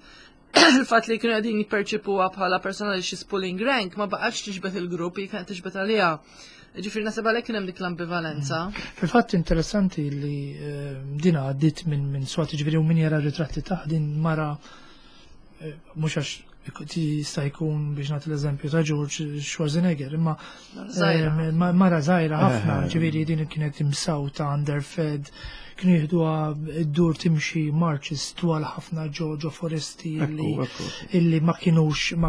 il-fatt li kienu qegħdin jipperċipuha bħala persona li she's pulling rank ma baqgħetx tiġbed il-grupp, hi kienet tiġbed għaliha. Ġifieri naħseb għalhekk kien hemm dik l-ambivalenza. Mm. Fil-fatt interessanti li eh, din għaddit minn min swat ġifieri u min jara ritratti ta' din mara eh, mhux għax jista' jkun biex nagħti l-eżempju ta' George Schwarzenegger, imma eh, mara żgħira ħafna, ġifieri din kienet imsawta underfed Kienu jieħduha ddur timxi marches twal ħafna ġo ġo foresti illi, illi ma kienux ma,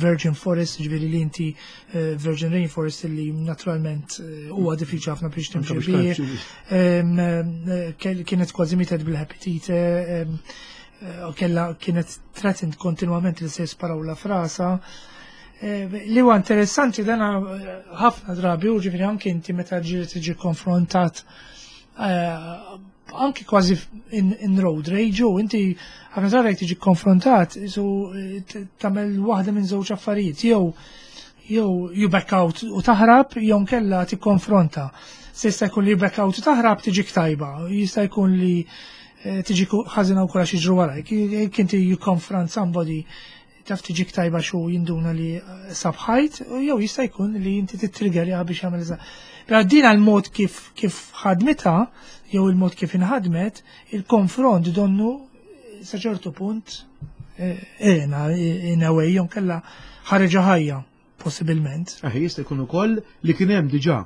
virgin forest, ġifieri li inti eh, virgin rainforest illi naturalment eh, huwa diffiċli ħafna biex timxi bih. Eh, kienet kważi mietet bil-hepatite, kella kienet threatened kontinwament li se jisparaw la frasa. Li huwa interessanti dana ħafna drabi u ġifieri anke inti meta ġieli tiġi konfrontat Eh, anki kważi in, in road rage u inti ħafna drabi jekk tiġi konfrontat so eh, tagħmel waħda minn żewġ affarijiet jew jew you back out u taħrab jew nkella tikkonfronta. Se jista' jkun li you back out u taħrab tiġik tajba, jista' jkun li eh, tiġi ħażina wkoll għax jiġru warajk. Jekk inti you confront somebody taf tiġik tajba xu jinduna li eh, sabħajt, jew jista' jkun li inti titriggerja biex jagħmel eżatt. Però din għal mod kif kif ħadmitha, jew il-mod kif inħadmet, il-konfront donnu sa ċertu punt eh, ena in a way jew kella ħareġa ħajja possibilment. Eh, jista' jkun ukoll li kien hemm diġà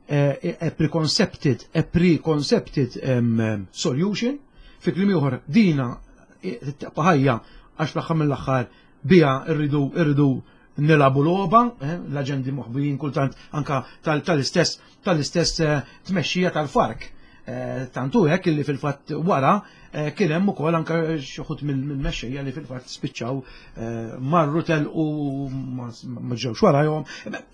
a preconcepted, a preconcepted um, solution, fi kliem ieħor dina tibqa' ħajja għax fl-aħħar mill-aħħar biha rridu rridu Nilagħbu logħba, eh, l-aġendi moħbijin kultant anka tal-istess tal-istess eh, tmexxija tal-FARC. Eh, tantu hekk illi fil-fatt wara kien hemm ukoll anka xi wħud mill-mexxejja li fil-fatt spiċċaw marru telqu ma ġewx warajhom.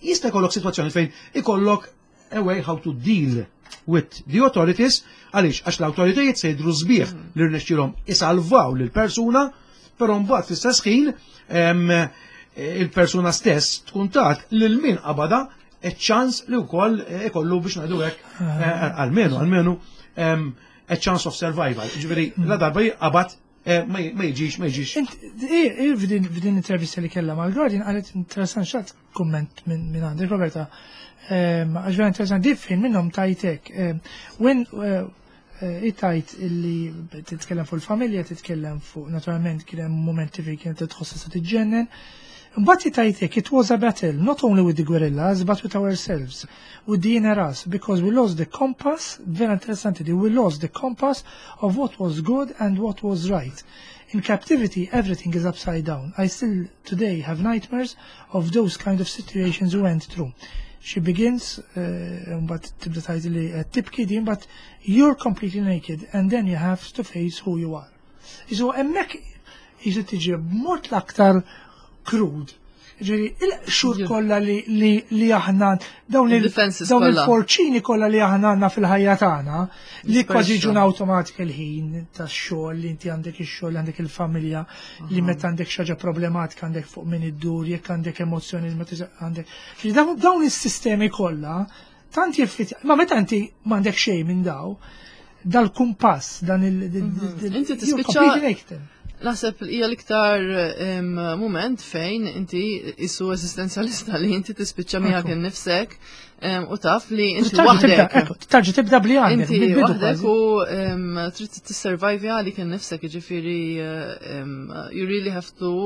Jista' jkollok sitwazzjoni fejn ikollok a way how to deal with the authorities, għaliex għax l-autoritajiet se jidhru sbieħ li rnexxielhom isalvaw lil persuna, però mbagħad fl-istess ħin il-persuna stess tkun tat lil min qabada ċans li wkoll ikollu biex ngħidu hekk almenu almenu a chance of survival. Ġifieri la darba qabad ma jiġix ma jiġix. F'din intervista li kellha mal-Guardian qalet interessant xat kumment minn għandek Roberta. Għax vera interessanti fejn minnhom tajtek. When tajt illi titkellem fuq il-familja, titkellem fuq naturalment kien hemm momenti fejn kienet tħossha se tiġġennen. Mbagħad tajtek it was a battle not only with the guerrillas but with ourselves, with the inner us, because we lost the compass, vera interessanti di, we lost the compass of what was good and what was right. In captivity, everything is upside down. I still today have nightmares of those kind of situations we went through. She begins, but tibda tgħid li tibki din, but you're completely naked and then you have to face who you are. Isu hemmhekk jisu tiġi b'mod l-aktar krud. Ġifieri, il-xur kollha li aħna dawn il-forċini kollha li aħna għandna fil-ħajja tagħna li kważi ġuna awtomatik il-ħin tax-xogħol li inti għandek ix-xogħol, għandek il-familja, li meta għandek xi ħaġa problematika għandek fuq min iddur, jekk għandek emozzjoni meta għandek. Dawn is-sistemi kollha tant jiffit, ma meta inti m'għandek xejn minn daw, dal-kumpass, dan il- Inti tispiċċa Naħseb hija l-iktar moment fejn inti isu eżistenzjalista li inti tispiċċa miegħek innifsek u taf li inti waħdek. Tarġa tibda bli għandek. Inti waħdek u trid tissurvive għalik innifsek, jiġifieri you really have to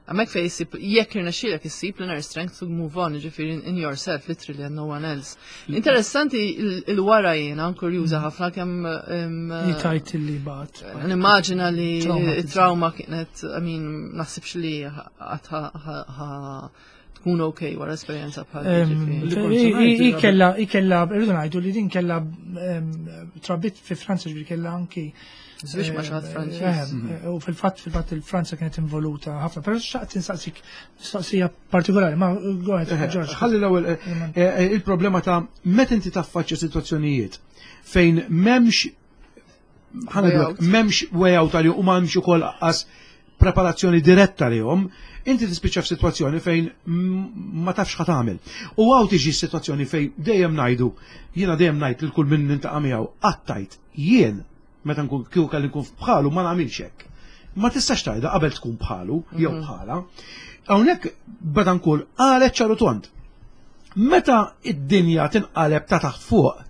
Għamek fej jisib, jekk irnexxielek issib l-inner strength to move on, ġifieri in yourself, literally, and no one else. Interessanti il-wara jiena, kurjuża ħafna kemm. Jitajt li bat. Nimmaġina li trauma kienet, I mean, naħsibx li tkun ok wara esperjenza bħal. Ikella, ikella, irridu ngħidu li din kella trabit fi Franza ġifieri kella anki Żwieġ ma' xi ħadd Franċiż. U fil-fatt fil-fatt il-Franza kienet involuta ħafna, però xtaqt insaqsik mistoqsija partikolari, ma go ahead, George. Ħalli l-ewwel il-problema ta' meta inti taffaċċja sitwazzjonijiet fejn m'hemmx m'hemmx way out għalihom u m'hemmx ukoll qas preparazzjoni diretta lihom, inti tispiċċa f'sitwazzjoni fejn ma tafx ħa tagħmel. U hawn tiġi sitwazzjoni fejn dejjem ngħidu, jiena dejjem ngħid lil kull min nintaqa' miegħu, qatt jien meta nkun kieku kelli nkun bħalu ma nagħmilx hekk. Ma tistax tgħidha qabel tkun bħalu jew bħala. Hawnhekk Betancourt qalet ċaru tond. Meta id-dinja tinqaleb ta' taħt fuq,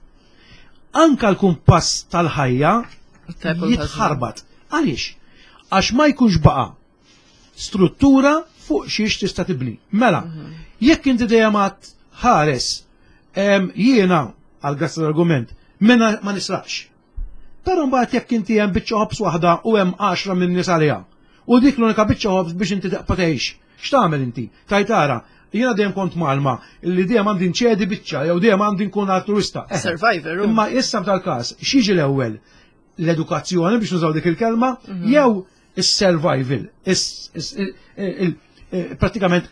anka l-kumpass tal-ħajja jitħarbat. Għaliex? Għax ma jkunx baqa struttura fuq xiex tista' tibni. Mela, jekk inti dejjem għad ħares jiena għal grazzi l-argument, mena ma nisraqx. Però mbagħad jekk inti hemm biċċa ħobż waħda u hemm 10 minn nies għaliha. U dik l-unika biċċa ħobż biex inti tibqa' tgħix. X'tagħmel inti? Tajt ara, jiena dejjem kont malma li dejjem għandi nċedi biċċa jew dejjem għandi nkun altruista. Survivor. Imma issa f'dal-każ, x'jiġi l-ewwel? L-edukazzjoni biex nużaw dik il-kelma jew is-survival, pratikament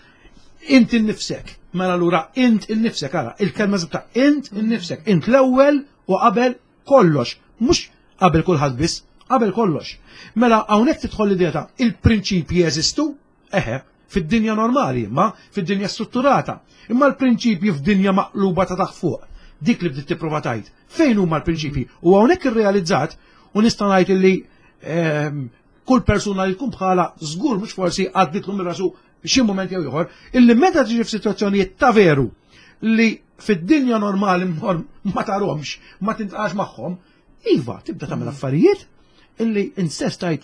int innifsek. Mela allura int innifsek, ara, il-kelma ta' int innifsek, int l-ewwel u qabel kollox, mhux qabel kulħadd biss, qabel kollox. Mela hawnhekk tidħol l-idea ta' il-prinċipji jeżistu, eħe, fid-dinja normali, imma fid-dinja strutturata. Imma l-prinċipji f'dinja maqluba ta' taħt fuq, dik li bdiet tipprova tgħid. Fejn huma l-prinċipji? U hawnhekk irrealizzat u nista' ngħid illi kull persuna li tkun bħala żgur mhux forsi għadditlu minn rasu xi mument jew ieħor, illi meta tiġi f'sitwazzjonijiet ta' veru li fid-dinja normali ma tarhomx, ma tintqax magħhom, iva tibda tagħmel affarijiet illi insess tajt.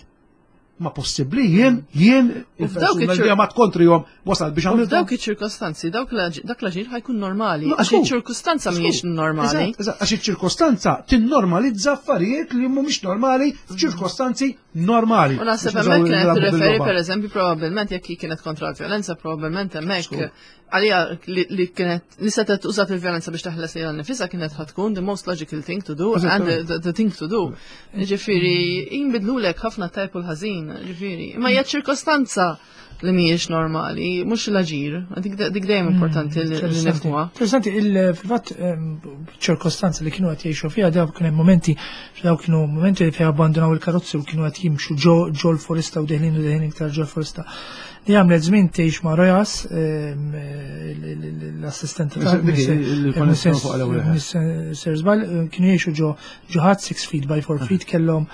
Ma possibbli jien, jien il-persuna li ma tkontrihom wasal biex għamil. Dawk iċ-ċirkostanzi, dawk dak l-aġir ħajkun normali. Għax iċ-ċirkostanza mhijiex normali. Għax iċ-ċirkostanza tinnormalizza affarijiet li mhumiex normali f'ċirkostanzi normali. U naħseb hemmhekk kienet tirreferi pereżempju probabbilment jekk hi kienet kontra l-vjolenza, probabbilment hemmhekk għalija li kienet li setgħet użat il-vjolenza biex taħles lilha nifisha kienet ħatkun the most logical thing to do and the, the thing to do. Ġifieri jinbidlulek ħafna tajb u l-ħażin, ġifieri. Imma hija ċirkostanza li mhijiex normali, mhux l-aġir, dik dejjem hmm, importanti li nifhmuha. Interessanti, fil-fatt ċirkostanza li kienu qed jgħixu fiha dawk kien hemm momenti dawk kienu momenti li fiha abbandonaw il-karozzi u kienu qed jimxu ġo l-foresta u deħlin u deħlin iktar ġo l-foresta. Li għamlet żmien tgħix ma' Rojas, l-assistenta ta' Sir Zbal, kienu jgħixu ġo ġo ħadd 6 feet by 4 feet kellhom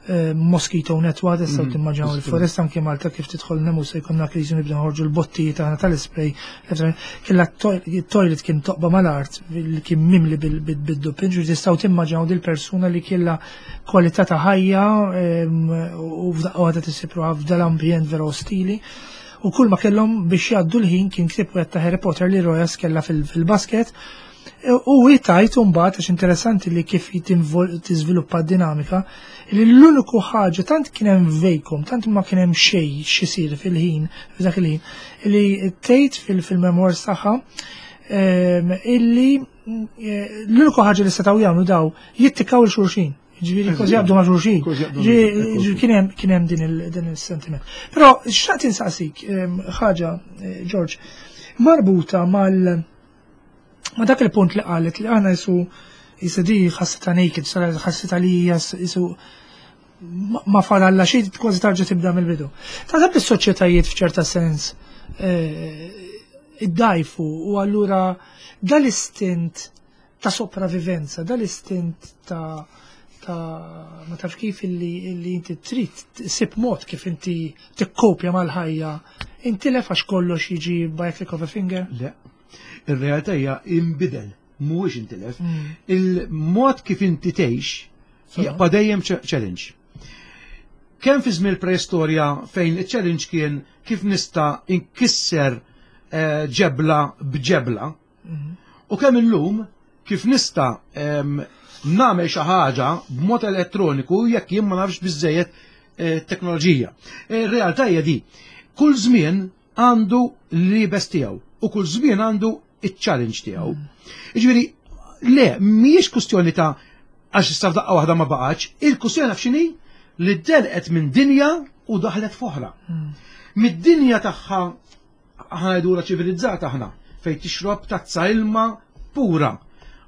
eh, mosquito net waħda tistgħu mm, timmaġinaw il-foresta anke Malta kif tidħol nemu se jkollna kriżi nibda nħorġu l-bottijiet tagħna tal-ispray. Kellha toilet kien toqba mal-art li kien mimli bid-dupin, ġifieri tistgħu timmaġinaw dil-persuna li kellha kwalità ta' ħajja u f'daqqa waħda tisib ruħha f'dal-ambjent vera ostili. U kull ma kellhom biex jgħaddu l-ħin kien ktieb wieħed ta' Harry Potter li Rojas kellha fil-basket. U hi tajt mbagħad għax interessanti li kif tiżviluppa d-dinamika, li l-uniku ħaġa tant kien hemm vacuum, tant ma kien hemm xejn x'isir fil-ħin, f'dak il-ħin, li tgħid fil-memoirs tagħha illi l-uniku ħaġa li setgħu jagħmlu daw jittikaw il xulxin. Ġifieri kważi jaqbdu ma' xulxin. Ġifieri kien hemm din il-sentiment. Però xtaqt insaqsik ħaġa, eh, George, marbuta mal ma dak il-punt li qalet li aħna jisu jisu di ħassita naked, ħassita li jisu ma fadalla xi kważi tarġa' tibda mill-bidu. Taħseb li s-soċjetajiet f'ċerta sens eh, iddajfu u allura dal-istint ta' sopravivenza, dal-istint ta' ta' ma tafx kif illi, illi inti trid sib mod kif inti tikkopja mal-ħajja, inti lef għax kollox jiġi by a click of a finger? Le. Ir-realtà hija inbidel, mhuwiex intilef. Mm. Il-mod kif inti tgħix jibqa' dejjem challenge. Kemm fi żmien preistorja fejn iċ-challenge kien kif nista' inkisser eh, ġebla b'ġebla, mm. u kemm illum kif nista' nagħmel xi ħaġa b'mod elettroniku jekk jien ma nafx biżejjed eh, teknoloġija. Ir-realtà hija di. Kull żmien għandu l-libes tiegħu u kull żmien għandu iċ-challenge tiegħu. Jiġifieri, le, mhijiex kwistjoni ta' għax issa f'daqqa waħda ma baqgħetx, il-kwistjoni naf x'inhi li delqet minn dinja u daħlet f'oħra. Hmm. Mid-dinja tagħha aħna ngħidula ċivilizzata aħna fejn tixrob tazza ilma pura.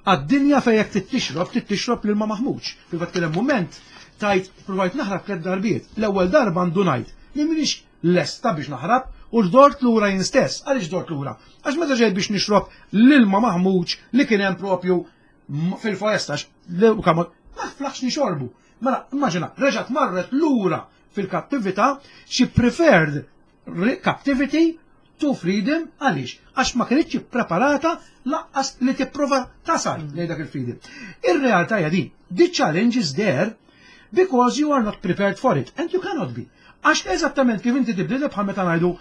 Għad-dinja fejn jekk tixrob, tixrob l-ilma maħmuġ. Fil-fatt kien hemm mument tajt provajt naħrab tliet darbiet. L-ewwel darba għandu ngħid li m'iniex lesta biex naħrab u dort lura jien stess. Għaliex dort lura? Għax meta ġejt biex nixrob l-ilma maħmuġ li kien hemm propju fil-foresta ma flaħx nixorbu. Mela, immaġina, reġgħet marret lura fil-kattività, she preferred captivity to freedom għaliex? Għax ma kienitx preparata laqqas li tipprova tasal lejn dak il-freedom. Ir-realtà hija din. The challenge is there because you are not prepared for it and you cannot be. Għax eżattament kif inti tibdilha bħal meta ngħidu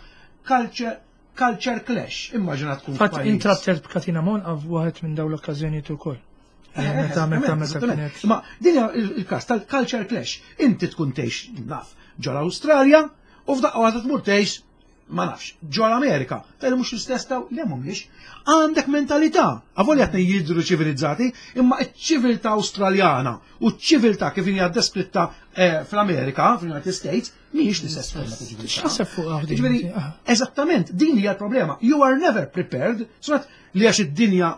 culture culture clash, immaġina tkun. Fatt intrabtet b'Katina Monqa f'waħed minn dawn l-okkażjonijiet ukoll. Eh, meta meta meta kienet. Ma din hija il-każ tal-culture clash. Inti tkun tgħix naf ġol Awstralja u f'daqqa waħda tmur tgħix ma nafx, ġol Amerika, tal mhux l-istess taw, le mhumiex. Għandek mentalità, avolja qed jidhru ċivilizzati, imma ċ-ċiviltà Awstraljana u ċ-ċiviltà kif hija deskritta eh, fl-Amerika, fl-United States, mhijiex l-istess forma ta' ċiviltà. X'taħseb fuq Ġifieri, ah. eżattament, din hija l-problema. You are never prepared, sonat li għax id-dinja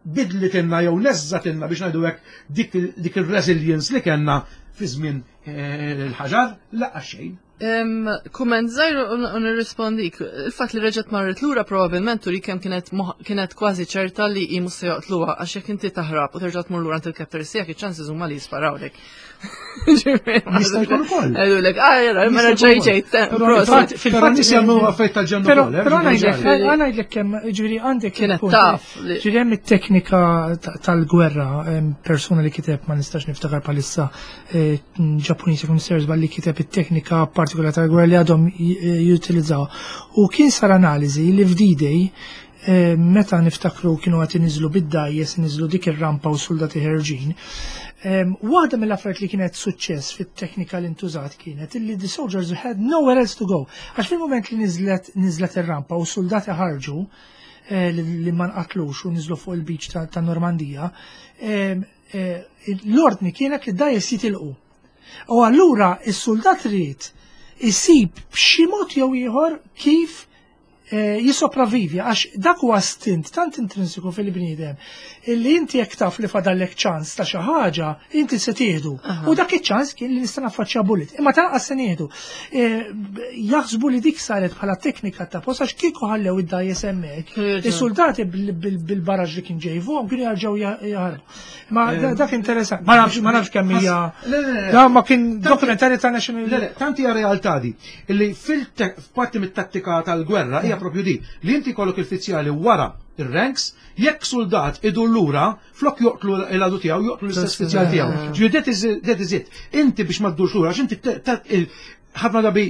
bidlitilna jew neżżatilna biex ngħidu hekk dik il-resilience li kellna fi żmien eh, il-ħaġar, laqgħa xejn. Kumment żgħir u nirrispondik. Il-fatt li reġgħet marret lura probabbilment turi kemm kienet kienet kważi ċerta li hi mhux se joqtluha għax jekk inti taħrab u terġa' tmur lura għand il-captors tiegħek iċ-chances huma li jisparawlek. Jista' jkun ukoll. Għedulek, ah, jara, mela ġej ġej. Fil-fatt nies jagħmlu affarijiet tal-ġenn ukoll. Eh, però ngħidlek, ngħidlek kemm ġifieri għandek. Kienet taf. Ġifieri hemm it-teknika tal-gwerra, persuna li kiteb ma nistax niftakar bħalissa eh, Ġappuniż jekk mister li kiteb it-teknika partikolari tal-gwerra li għadhom jutilizzaw. U kien sar analiżi li f'D-Day meta niftakru kienu qed iniżlu bid-dgħajjes, iniżlu dik ir-rampa u soldati ħerġin. Waħda mill-affarijiet li kienet suċċess fit-teknika li ntużat kienet illi the soldiers had nowhere else to go. Għax fil-moment li nizlet ir-rampa u soldati ħarġu li ma nqatlux u niżlu fuq il-beach ta' Normandija, l-ordni kienet li dgħajjes jitilqu. U allura is-soldat ried isib b'xi mod jew ieħor kif jisopravivi, għax dak huwa stint tant intrinsiku fil-bniedem illi inti jekk taf li fadallek ċans ta' xi ħaġa, inti se tieħdu. U dak iċ-ċans kien li nista' naffaċċja bullet. Imma tanqas se nieħdu. Jaħsbu li dik saret bħala teknika ta' post għax kieku ħallew id-dgħajjes hemmhekk. Is-soldati bil-baraġ li kien ġejfuhom kienu jarġgħu jaħarbu. Ma dak interessant. Ma nafx kemm hija. Le, le, le. Da ma kien dokumentari ta' National Le, le, tanti hija realtà di illi fil-parti mit-tattika tal-gwerra hija propju di li inti kollok il-fizzjali wara ir-ranks, jekk soldat idur lura, flok joqtlu l-għadu tiegħu, joqtlu l-istess fizzjal tiegħu. Ġifieri that is it. Inti biex ma ddurx lura, għax inti ħafna drabi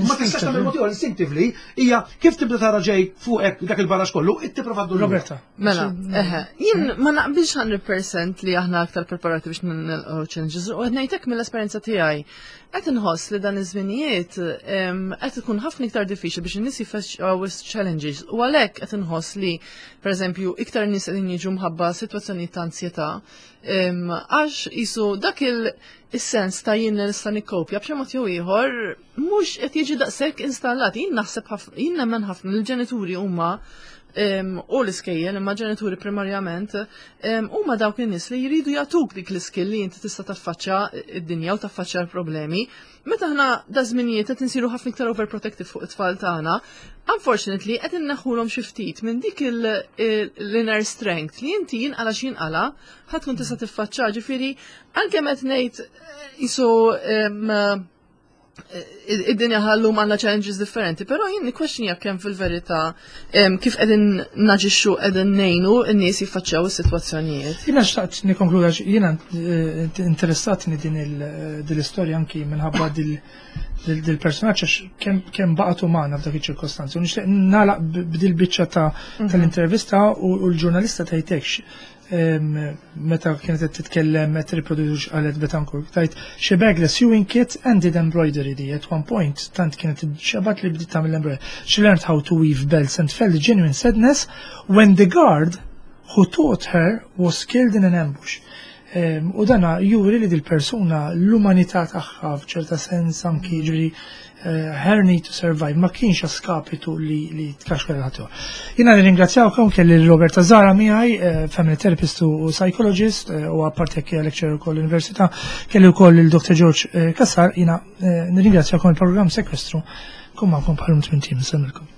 ma tistax tagħmel mod ieħor, instinctively hija kif tibda tara ġej fuqek dak il-barax kollu, inti prova ddur lura. Roberta. Mela, eħe, jien ma naqbilx 100% li aħna aktar preparati biex nilqgħu challenges, u qed ngħidlek mill-esperjenza tiegħi. Qed inħoss li dan iż-żminijiet qed ikun ħafna iktar diffiċli biex in-nies jiffaċċjaw challenges u għalhekk qed inħoss li pereżempju iktar nies qegħdin jiġu mħabba sitwazzjonijiet ta' ansjetà għax jisu dak il-sens ta' jien li nista' nikkopja b'xi mod jew ieħor mhux qed jiġi daqshekk installat. Jien naħseb ħafna, jien nemmen ħafna li l-ġenituri huma u l-iskejjel, imma ġenituri primarjament, huma dawk in-nies li jridu jagħtuk dik l-iskill li inti tista' taffaċċja id-dinja u taffaċċja l-problemi. Meta aħna da żminijiet qed insiru ħafna iktar overprotective fuq it-tfal tagħna, unfortunately qed inneħħulhom xi ftit minn dik l-inner strength li inti jinqala x'jinqala ħa tkun tista' tiffaċċja. Ġifieri anke qed ngħid jisu id-dinja llum għandna challenges differenti, pero jien nikkwestjonja kemm fil-verità kif qegħdin naġixxu qegħdin ngħinu n-nies jiffaċċjaw is-sitwazzjonijiet. Jiena xtaqt nikkonkluda, jiena interessatni din l-istorja anki minħabba dil-personaġġ għax kemm baqgħet umana f'dak iċ-ċirkostanzi. U nixtieq nagħlaq b'dil biċċa ta' tal-intervista u l-ġurnalista tajtekx meta kienet qed titkellem qed riproduċ qalet Betancourt tajt she bagged a sewing kit and did embroidery di at one point tant kienet xebat li bdiet tagħmel embroidery. She learned how to weave belts and felt genuine sadness when the guard who taught her was killed in an ambush. U dana juri li dil-persuna l-umanità tagħha f'ċerta sens anki ġifieri her need to survive ma kienx a skapitu li tkaxkar ħadd. Jiena nirringrazzjawkom, kelli Roberta Zara miegħi, family therapist u psychologist, u apparti hekk lecturer ukoll l-università, kelli wkoll il-Dr. George Kassar, jiena nirringrazzjawkom. Il-programm Sekwestru kum magħkom bħalum tmien tim, nsellmilkom.